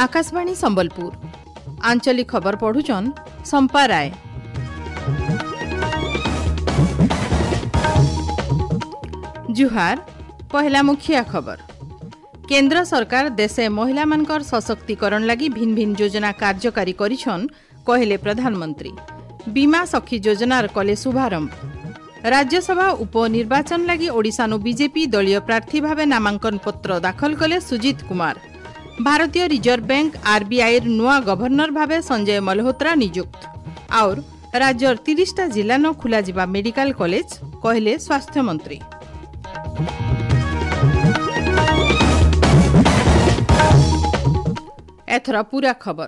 Akashvani Sambalpur आंचलिक खबर पढुछन सम्पा राय। जुहार। पहला मुखिया खबर। केंद्र सरकार देशे महिला मानकर सशक्तिकरण लागि भिन्न भिन्न योजना कार्यकारी करिछन कहले प्रधानमंत्री। बीमा सखी योजनार कले शुभारंभ। राज्यसभा उपनिर्वाचन लागि ओडिशानु बीजेपी दलीय प्रार्थी भावे नामांकन पत्र दाखल कले सुजीत कुमार। भारतीय रिजर्व बैंक आरबीआईर नुआ गवर्नर भावे संजय मल्होत्रा नियुक्त। और राज्यर 30टा जिला न खुलाजिबा मेडिकल कलेज कहले स्वास्थ्य मंत्री। एथर पूरा खबर।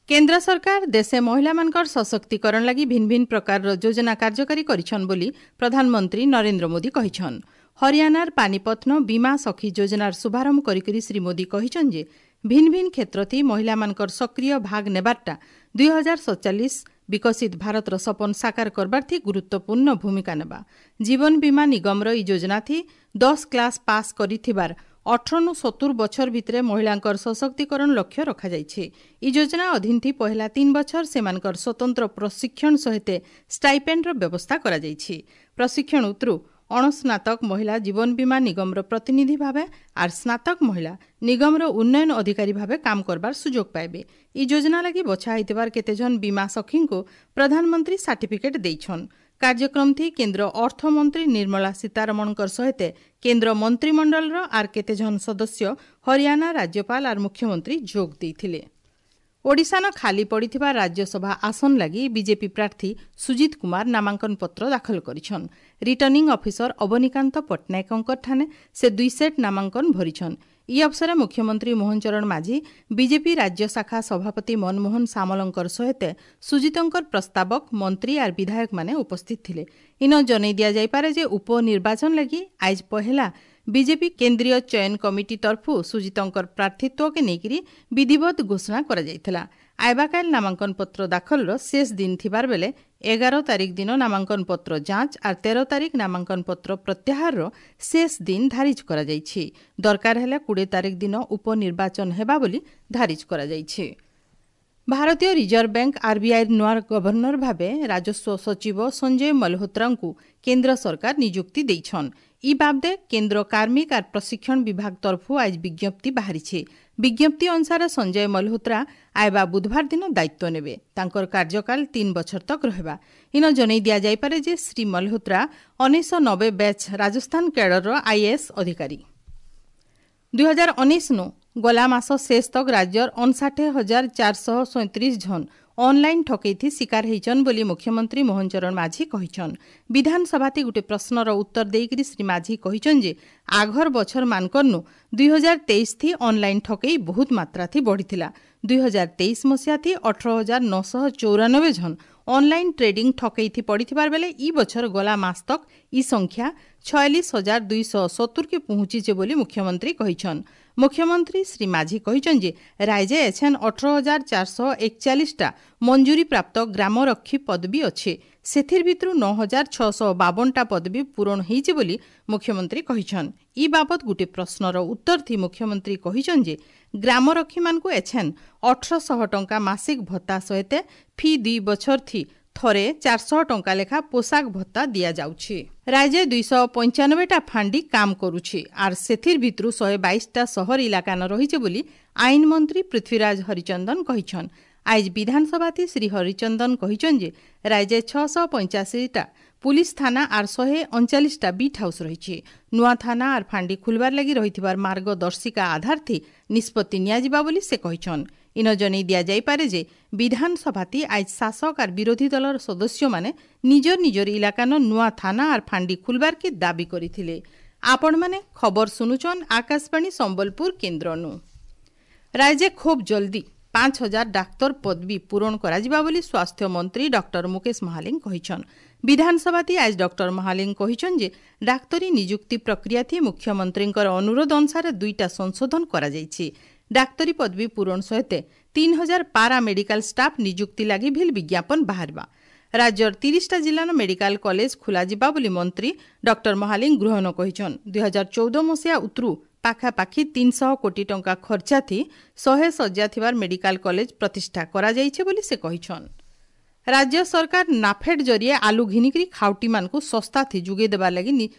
केंद्र सरकार देशे महिला मानकर सशक्तिकरण लागि भिन्न भिन्न प्रकार योजना कार्यकारी करिछन बोली प्रधानमंत्री नरेंद्र मोदी कहिछन। हरियाणार पानीपत्न बीमा सखी योजनार शुभारंभ करिकरि श्री मोदी कहिछन जे भिन्न भिन्न क्षेत्रथि महिला मानकर सक्रिय भाग नेबारटा 2047 विकसित भारतर सपन साकार करबार्थी गुरुत्वपूर्ण भूमिका नेबा। जीवन बीमा निगमर ई योजना थी 10 क्लास पास करिथिबार 18 70 बछर भितरे महिलांकर सशक्तिकरण लक्ष्य रखा जाइछि। ई योजना अधीन थी पहला 3 बछर सेमानकर स्वतंत्र प्रशिक्षण सहित स्टाइपेंडर व्यवस्था कराजाइछि। प्रशिक्षण उतरु अणस्नातक महिला जीवन बीमा निगमर प्रतिनिधि भावे are स्नातक महिला निगमर उन्नयन अधिकारी भावे काम करबार सुযোগ पाइबे। ई योजना लागि बछा होइतिबार केतेजन बीमा सखीଙ୍କୁ प्रधानमंत्री सर्टिफिकेट देइछन। कार्यक्रम थी केंद्र अर्थमंत्री निर्मला सीतारमणकर सहित केंद्र मंत्रिमंडलर are केतेजन सदस्य, हरियाणा राज्यपाल are मुख्यमंत्री जोग देइथिले। ओडिशान खाली पड़िथिबा राज्यसभा आसन लागि बीजेपी प्रार्थी सुजीत कुमार नामांकन पत्र दाखल करिछन। रिटर्निंग ऑफिसर अवनिकांत पट्टनायकଙ୍କ ठाने से 2 सेट नामांकन भरिछन। ई अवसरे मुख्यमंत्री मोहन चरण माझी, बीजेपी राज्य शाखा सभापति मनमोहन सामलंकर सहित सुजीतंकर प्रस्तावक, मंत्री are विधायक माने उपस्थित थिले। इन जनै दिया जाइपारे जे उपनिर्वाचन लागि आज पहला बीजेपी केंद्रीय चयन कमिटी तरफु सुजीतंकर प्रार्थित्व के नेकिरी विधिवत घोषणा करा जाइथिला। आइबाकाल नामांकन पत्र दाखलर शेष दिन थिबार बेले 11 तारीख दिन नामांकन पत्र जांच are 13 तारीख नामांकन पत्र प्रत्याहार शेष दिन धारिज करा जाइछि। दरकार हेले 20 तारीख दिन उपनिर्वाचन हेबा बोली धारिज करा जाइछि। भारतीय रिजर्व बैंक आरबीआई नुआ गवर्नर भावे राजस्व सचिव संजय मल्होत्रांकु केंद्र सरकार नियुक्ति देइछन। ई बाबदे केंद्र कार्मिक are प्रशिक्षण विभाग तरफु आज विज्ञप्ति बाहरिछि। विज्ञप्ति अनुसार संजय मल्होत्रा आइबा बुधवार दिन दायित्व नेबे। तांकर कार्यकाल 3 बछर तक रहबा। इन जनै दिया जाइपारे जे श्री मल्होत्रा 1990 बैच राजस्थान कैडरर आईएएस अधिकारी। 2019 नु गला मास शेष तक राज्यर 59,437 जन ऑनलाइन ठकेई शिकार होइछन बोली मुख्यमंत्री मोहन चरण माझी कहिछन। विधानसभाति गुटे प्रश्नर उत्तर देइकरि श्री माझी कहिछन जे आघर बछर मानकरनु 2023 थी ऑनलाइन ठकेई बहुत मात्रा थी बढ़िथिला। 2023 मसिया थी 18,994 जन ऑनलाइन ट्रेडिंग ठकेई थी पड़िथिबार बेले ई बछर गला मास तक ई संख्या 46,270 के पहुंचीছে बोली मुख्यमंत्री कहिछन। मुख्यमंत्री श्री माझी कहिछन जे राज्य एछेन 18,441टा मंजूरी प्राप्त ग्रामरक्षी पदवी अछि। सेथिर भितरु 9,652टा पदवी पूरण होइছে बोली मुख्यमंत्री कहिछन। ई बाबत गुटे प्रश्नर उत्तर थी मुख्यमंत्री कहिछन जे ग्रामरक्षी मानकु एछेन 1800 टंका मासिक भत्ता सहित फी 2 बछर थी थरे 400 टंका लेखा पोशाक भत्ता दिया जाଉଛି। राज्य 295टा फांडी काम करुछि are सेथिर भितरु 122टा शहर इलाका न रहिছে बोली आईन मंत्री पृथ्वीराज हरिचंदन कहिछन। आज विधानसभाति श्री हरिचंदन कहिछन जे राज्य 685टा पुलिस थाना are 139टा बीट हाउस रहिछि। नुआ थाना are फांडी खुलबार लागि रहिथिबार मार्गदर्शिका आधार थी निष्पत्ति नियाजिबा बोली से कहिछन। इन जनै दिया जाइपारे जे विधानसभाति आज शासक are विरोधी दलर सदस्य माने निजर निजर इलाकान नुआ थाना are फांडी खुलबार के दाबी करिथिले। आपण माने खबर सुनुछन आकाशवाणी सम्बलपुर केंद्रनु। राज्य खूब जल्दी 5000 डाक्तर पदवी पूरण कराजिबा बोली स्वास्थ्य मंत्री डॉक्टर मुकेश महालिंग कहिछन। विधानसभाति आज डॉक्टर महालिंग कहिछन जे डाक्तरी नियुक्ति प्रक्रिया थी मुख्यमंत्रींकर अनुरोध अनुसार 2टा संशोधन कराजाइछि। डाक्तरी पदवी पूरण सहित 3000 पारा मेडिकल स्टाफ नियुक्ति लागि भिल विज्ञापन बाहरबा। ରାଜ୍ୟର 30ଟା ଜିଲ୍ଲାନ ମେଡିକାଲ କଲେଜ ଖୋଲାଯିବା ବୋଲି ମନ୍ତ୍ରୀ ଡକ୍ଟର ମହାଲିଙ୍ଗ ଗୃହନ କହିଛନ୍। 2014 ମସିହା ଉତରୁ ପାଖାପାଖି 300 କୋଟି ଟଙ୍କା ଖର୍ଚ୍ଚାଥି 100 ଶଯ୍ୟା ଥିବାର ମେଡିକାଲ କଲେଜ ପ୍ରତିଷ୍ଠା କରାଯାଇଛି ବୋଲି ସେ କହିଛନ୍। ରାଜ୍ୟ ସରକାର ନାଫେଡ୍ ଜରିଏ ଆଲୁ ଘିନିକରି ଖାଉଟିମାନଙ୍କୁ ଶସ୍ତାଥି ଯୋଗାଇ ଦେବାର ଲାଗି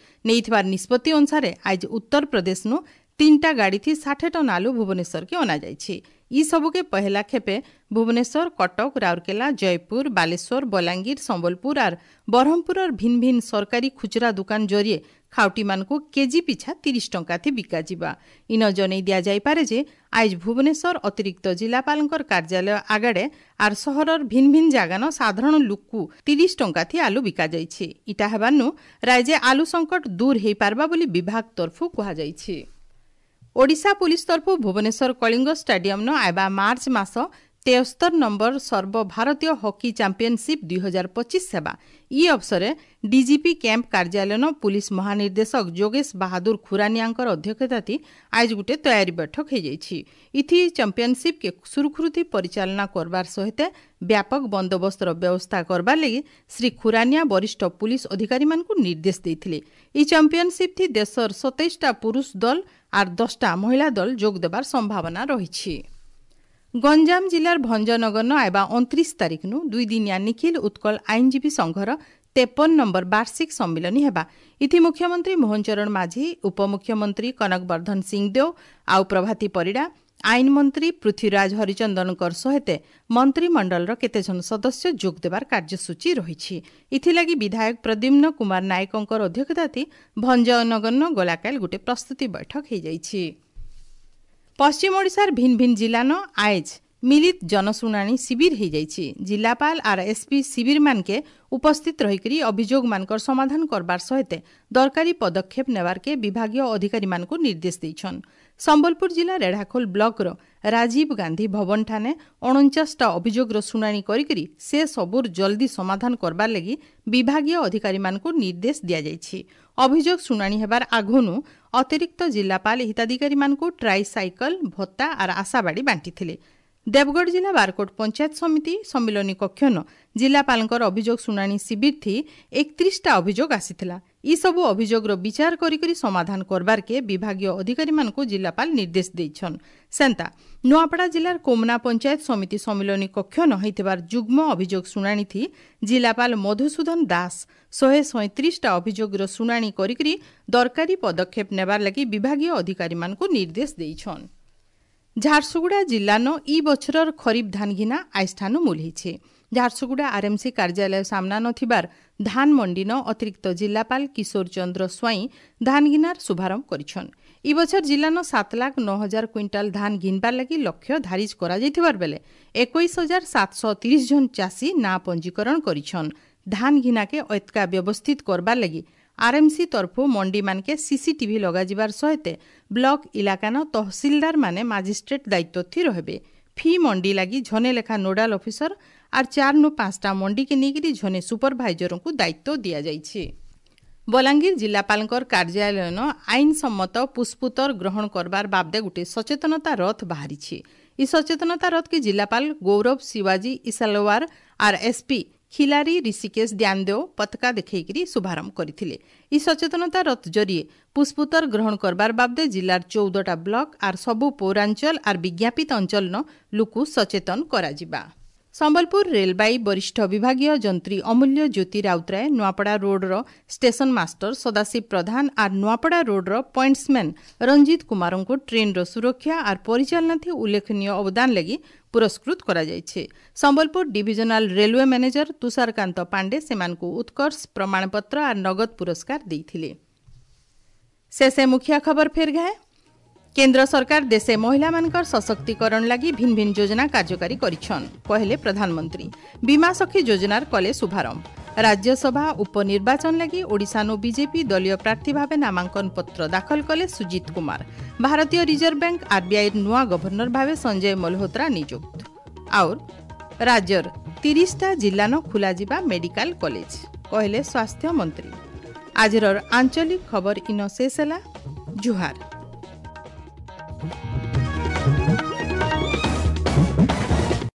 ନେଇଥିବାର ନିଷ୍ପତ୍ତି ଅନୁସାରେ ଆଜି ଉତ୍ତରପ୍ରଦେଶନୁ 3ଟା ଗାଡ଼ିଥି 60 ଟନ୍ ଆଲୁ ଭୁବନେଶ୍ୱରକେ ଅଣାଯାଇଛି। ଇ ସବୁକେ ପହେଲା ଖେପେ ଭୁବନେଶ୍ୱର, କଟକ, ରାଉରକେଲା, ଜୟପୁର, ବାଲେଶ୍ୱର, ବଲାଙ୍ଗୀର, ସମ୍ବଲପୁର ଆର୍ ବ୍ରହ୍ମପୁରର ଭିନ୍ ଭିନ୍ ସରକାରୀ ଖୁଚୁରା ଦୋକାନ ଜରିଏ ଖାଉଟିମାନଙ୍କୁ କେଜି ପିଛା 30 ଟଙ୍କାଥି ବିକାଯିବା। ଇନ ଜନେଇ ଦିଆଯାଇପାରେ ଯେ ଆଇଜ ଭୁବନେଶ୍ୱର ଅତିରିକ୍ତ ଜିଲ୍ଲାପାଳଙ୍କର କାର୍ଯ୍ୟାଳୟ ଆଗଡ଼େ ଆର୍ ସହରର ଭିନ୍ ଭିନ୍ ଜାଗାନ ସାଧାରଣ ଲୁକ୍କୁ 30 ଟଙ୍କାଥି ଆଲୁ ବିକାଯାଇଛି। ଇଟା ହେବାନୁ ରାଜ୍ୟ ଆଲୁ ସଙ୍କଟ ଦୂର ହେଇପାରବା ବୋଲି ବିଭାଗ ତରଫୁ କୁହାଯାଇଛି। ଓଡ଼ିଶା ପୁଲିସ ତରଫୁ ଭୁବନେଶ୍ୱର କଳିଙ୍ଗ ଷ୍ଟାଡିୟମ୍ନ ଆଇବା ମାର୍ଚ୍ଚ ମାସ 73 ନମ୍ବର ସର୍ବଭାରତୀୟ ହକି ଚାମ୍ପିୟନସିପ୍ 2025 ହେବା। ଇ ଅବସରେ ଡିଜିପି କ୍ୟାମ୍ପ କାର୍ଯ୍ୟାଳୟନ ପୁଲିସ ମହାନିର୍ଦ୍ଦେଶକ ଯୋଗେଶ ବାହାଦୁର ଖୁରାନିଆଙ୍କର ଅଧ୍ୟକ୍ଷତାଥି ଆଇଜ ଗୁଟେ ତୟାରୀ ବୈଠକ ହେଇଯାଇଛି। ଇଥି ଚାମ୍ପିୟନସିପ୍କେ ସୁରୁଖୁରୁଥି ପରିଚାଳନା କରବାର ସହିତ ବ୍ୟାପକ ବନ୍ଦୋବସ୍ତର ବ୍ୟବସ୍ଥା କରବାର ଲାଗି ଶ୍ରୀ ଖୁରାନିଆ ବରିଷ୍ଠ ପୁଲିସ ଅଧିକାରୀମାନଙ୍କୁ ନିର୍ଦ୍ଦେଶ ଦେଇଥିଲେ। ଇ ଚାମ୍ପିୟନସିପ୍ ଥି ଦେଶର 27ଟା ପୁରୁଷ ଦଳ ଆର୍ 10ଟା ମହିଳା ଦଳ ଯୋଗ ଦେବାର ସମ୍ଭାବନା ରହିଛି। ଗଞ୍ଜାମ ଜିଲ୍ଲାର ଭଞ୍ଜନଗରନ ଆଇବା 29 ତାରିଖନୁ 2 ଦିନିଆ ନିଖିଲ ଉତ୍କଳ ଆଇନଜୀବୀ ସଂଘର 53 ନମ୍ବର ବାର୍ଷିକ ସମ୍ମିଳନୀ ହେବା। ଇଥି ମୁଖ୍ୟମନ୍ତ୍ରୀ ମୋହନ ଚରଣ ମାଝୀ, ଉପମୁଖ୍ୟମନ୍ତ୍ରୀ କନକ ବର୍ଦ୍ଧନ ସିଂଦେଓ ଆଉ ପ୍ରଭାତୀ ପରିଡ଼ା, ଆଇନ ମନ୍ତ୍ରୀ ପୃଥ୍ୱୀରାଜ ହରିଚନ୍ଦନଙ୍କର ସହିତ ମନ୍ତ୍ରିମଣ୍ଡଳର କେତେଜଣ ସଦସ୍ୟ ଯୋଗ ଦେବାର କାର୍ଯ୍ୟସୂଚୀ ରହିଛି। ଏଥିଲାଗି ବିଧାୟକ ପ୍ରଦ୍ୟୁମ୍ନ କୁମାର ନାୟକଙ୍କର ଅଧ୍ୟକ୍ଷତାଥି ଭଞ୍ଜନଗରନ ଗଲାକାଲ ଗୋଟେ ପ୍ରସ୍ତୁତି ବୈଠକ ହୋଇଯାଇଛି। ପଶ୍ଚିମ ଓଡ଼ିଶାର ଭିନ୍ ଭିନ୍ ଜିଲ୍ଲାନ ଆଏଜ ମିଳିତ ଜନଶୁଣାଣି ଶିବିର ହୋଇଯାଇଛି। ଜିଲ୍ଲାପାଳ ଆର୍ ଏସ୍ପି ଶିବିରମାନକେ ଉପସ୍ଥିତ ରହିକରି ଅଭିଯୋଗମାନଙ୍କର ସମାଧାନ କରବାର ସହିତ ଦରକାରୀ ପଦକ୍ଷେପ ନେବାରକେ ବିଭାଗୀୟ ଅଧିକାରୀମାନଙ୍କୁ ନିର୍ଦ୍ଦେଶ ଦେଇଛନ୍। ସମ୍ବଲପୁର ଜିଲ୍ଲା ରେଢ଼ାଖୋଲ ବ୍ଲକର ରାଜୀବ ଗାନ୍ଧୀ ଭବନଠାନେ 49ଟା ଅଭିଯୋଗର ଶୁଣାଣି କରିକରି ସେ ସବୁର ଜଲ୍ଦି ସମାଧାନ କରବାର ଲାଗି ବିଭାଗୀୟ ଅଧିକାରୀମାନଙ୍କୁ ନିର୍ଦ୍ଦେଶ ଦିଆଯାଇଛି। ଅଭିଯୋଗ ଶୁଣାଣି ହେବାର ଆଗନୁ ଅତିରିକ୍ତ ଜିଲ୍ଲାପାଳ ହିତାଧିକାରୀମାନଙ୍କୁ ଟ୍ରାଇସାଇକଲ, ଭତ୍ତା ଆର୍ ଆଶାବାଡ଼ି ବାଣ୍ଟିଥିଲେ। ଦେବଗଡ଼ ଜିଲ୍ଲା ବାରକୋଟ ପଞ୍ଚାୟତ ସମିତି ସମ୍ମିଳନୀ କକ୍ଷନ ଜିଲ୍ଲାପାଳଙ୍କର ଅଭିଯୋଗ ଶୁଣାଣି ଶିବିର ଥି 31ଟା ଅଭିଯୋଗ ଆସିଥିଲା। ଏସବୁ ଅଭିଯୋଗର ବିଚାର କରିକରି ସମାଧାନ କରବାରକେ ବିଭାଗୀୟ ଅଧିକାରୀମାନଙ୍କୁ ଜିଲ୍ଲାପାଳ ନିର୍ଦ୍ଦେଶ ଦେଇଛନ୍। ସେନ୍ତା ନୂଆପଡ଼ା ଜିଲ୍ଲାର କୋମନା ପଞ୍ଚାୟତ ସମିତି ସମ୍ମିଳନୀ କକ୍ଷନ ହୋଇଥିବାର ଯୁଗ୍ମ ଅଭିଯୋଗ ଶୁଣାଣି ଥି ଜିଲ୍ଲାପାଳ ମଧୁସୂଦନ ଦାସ 137ଟା ଅଭିଯୋଗର ଶୁଣାଣି କରିକରି ଦରକାରୀ ପଦକ୍ଷେପ ନେବାର ଲାଗି ବିଭାଗୀୟ ଅଧିକାରୀମାନଙ୍କୁ ନିର୍ଦ୍ଦେଶ ଦେଇଛନ୍। ଝାରସୁଗୁଡ଼ା ଜିଲ୍ଲାନ ଇ ବଛରର ଖରିଫ ଧାନ ଘିନା ଆଇଷ୍ଠାନୁ ମୂଲ ହେଇଛେ। ଝାରସୁଗୁଡ଼ା ଆର୍ଏମ୍ସି କାର୍ଯ୍ୟାଳୟ ସାମ୍ନା ନଥିବାର ଧାନ ମଣ୍ଡିନ ଅତିରିକ୍ତ ଜିଲ୍ଲାପାଳ କିଶୋର ଚନ୍ଦ୍ର ସ୍ୱାଇଁ ଧାନ ଘିନାର ଶୁଭାରମ୍ଭ କରିଛନ୍। ଇ ବଛର ଜିଲ୍ଲାନ 7,09,000 କ୍ୱିଣ୍ଟାଲ ଧାନ ଘିନବାର ଲାଗି ଲକ୍ଷ୍ୟ ଧାରିଜ କରାଯାଇଥିବାର ବେଲେ 21,730 ଜଣ ଚାଷୀ ନାଁ ପଞ୍ଜୀକରଣ କରିଛନ୍। ଧାନ ଘିନାକେ ଏତକା ବ୍ୟବସ୍ଥିତ କରବାର ଲାଗି ଆର୍ଏମ୍ସି ତରଫୁ ମଣ୍ଡିମାନକେ ସିସିଟିଭି ଲଗାଯିବାର ସହିତ ବ୍ଲକ ଇଲାକାନ ତହସିଲଦାର ମାନେ ମାଜିଷ୍ଟ୍ରେଟ୍ ଦାୟିତ୍ୱ ଥି ରହିବେ। ଫି ମଣ୍ଡି ଲାଗି ଝନେ ଲେଖା ନୋଡାଲ ଅଫିସର ଆର୍ 4 ରୁ 5ଟା ମଣ୍ଡିକେ ନେଇକରି ଝନେ ସୁପରଭାଇଜରଙ୍କୁ ଦାୟିତ୍ୱ ଦିଆଯାଇଛି। ବଲାଙ୍ଗୀର ଜିଲ୍ଲାପାଳଙ୍କର କାର୍ଯ୍ୟାଳୟନ ଆଇନସମ୍ମତ ପୁଷ୍ପୁତର ଗ୍ରହଣ କରବାର ବାବଦେ ଗୋଟିଏ ସଚେତନତା ରଥ ବାହାରିଛି। ଇ ସଚେତନତା ରଥକେ ଜିଲ୍ଲାପାଳ ଗୌରବ ଶିବାଜୀ ଇସାଲୱାର ଆର୍ ଏସ୍ପି ଖିଲାରୀ ଋଷିକେଶ ଦ୍ୟାନଦେଓ ପତାକା ଦେଖେଇକରି ଶୁଭାରମ୍ଭ କରିଥିଲେ। ଇ ସଚେତନତା ରଥ ଜରିଏ ପୁଷ୍ପୁତର ଗ୍ରହଣ କରବାର ବାବଦେ ଜିଲ୍ଲାର 14ଟା ବ୍ଲକ ଆର୍ ସବୁ ପୌରାଞ୍ଚଳ ଆର୍ ବିଜ୍ଞାପିତ ଅଞ୍ଚଳନ ଲୁକୁ ସଚେତନ କରାଯିବା। ସମ୍ବଲପୁର ରେଲବାଇ ବରିଷ୍ଠ ବିଭାଗୀୟ ଯନ୍ତ୍ରୀ ଅମୂଲ୍ୟ ଜ୍ୟୋତି ରାଉତରାୟ, ନୂଆପଡ଼ା ରୋଡର ଷ୍ଟେସନ ମାଷ୍ଟର ସଦାଶିବ ପ୍ରଧାନ ଆର୍ ନୂଆପଡ଼ା ରୋଡର ପଏଣ୍ଟସମ୍ୟାନ୍ ରଞ୍ଜିତ କୁମାରଙ୍କୁ ଟ୍ରେନ୍ର ସୁରକ୍ଷା ଆର୍ ପରିଚାଳନା ଉଲ୍ଲେଖନୀୟ ଅବଦାନ ଲାଗି ପୁରସ୍କୃତ କରାଯାଇଛି। Sambalpur divisional railway manager Tusharkant Pandey ସେମାନଙ୍କୁ ଉତ୍କର୍ଷ ପ୍ରମାଣପତ୍ର ଆର୍ ନଗଦ ପୁରସ୍କାର ଦେଇଥିଲେ। ଶେଷେ ମୁଖିଆ ଖବର ଫେର ଘାଏ। କେନ୍ଦ୍ର ସରକାର ଦେଶେ ମହିଳାମାନଙ୍କର ସଶକ୍ତିକରଣ ଲାଗି ଭିନ୍ ଭିନ୍ ଯୋଜନା କାର୍ଯ୍ୟକାରୀ କରିଛନ୍ କହିଲେ ପ୍ରଧାନମନ୍ତ୍ରୀ। ବୀମା ସଖୀ ଯୋଜନାର କଲେ ଶୁଭାରମ୍ଭ। ରାଜ୍ୟସଭା ଉପନିର୍ବାଚନ ଲାଗି ଓଡ଼ିଶାନୁ ବିଜେପି ଦଳୀୟ ପ୍ରାର୍ଥୀ ଭାବେ ନାମାଙ୍କନ ପତ୍ର ଦାଖଲ କଲେ ସୁଜିତ କୁମାର। ଭାରତୀୟ ରିଜର୍ଭ ବ୍ୟାଙ୍କ ଆର୍ବିଆଇର ନୂଆ ଗଭର୍ଣ୍ଣର ଭାବେ ସଞ୍ଜୟ ମଲ୍ହୋତ୍ରା ନିଯୁକ୍ତ। ଆଉ ରାଜ୍ୟର 30ଟା ଜିଲ୍ଲାନ ଖୋଲାଯିବା ମେଡିକାଲ କଲେଜ କହିଲେ ସ୍ୱାସ୍ଥ୍ୟ ମନ୍ତ୍ରୀ। ଆଜିର ଆଞ୍ଚଳିକ ଖବର ଇନ ଶେଷ ହେଲା। ଜୁହାର।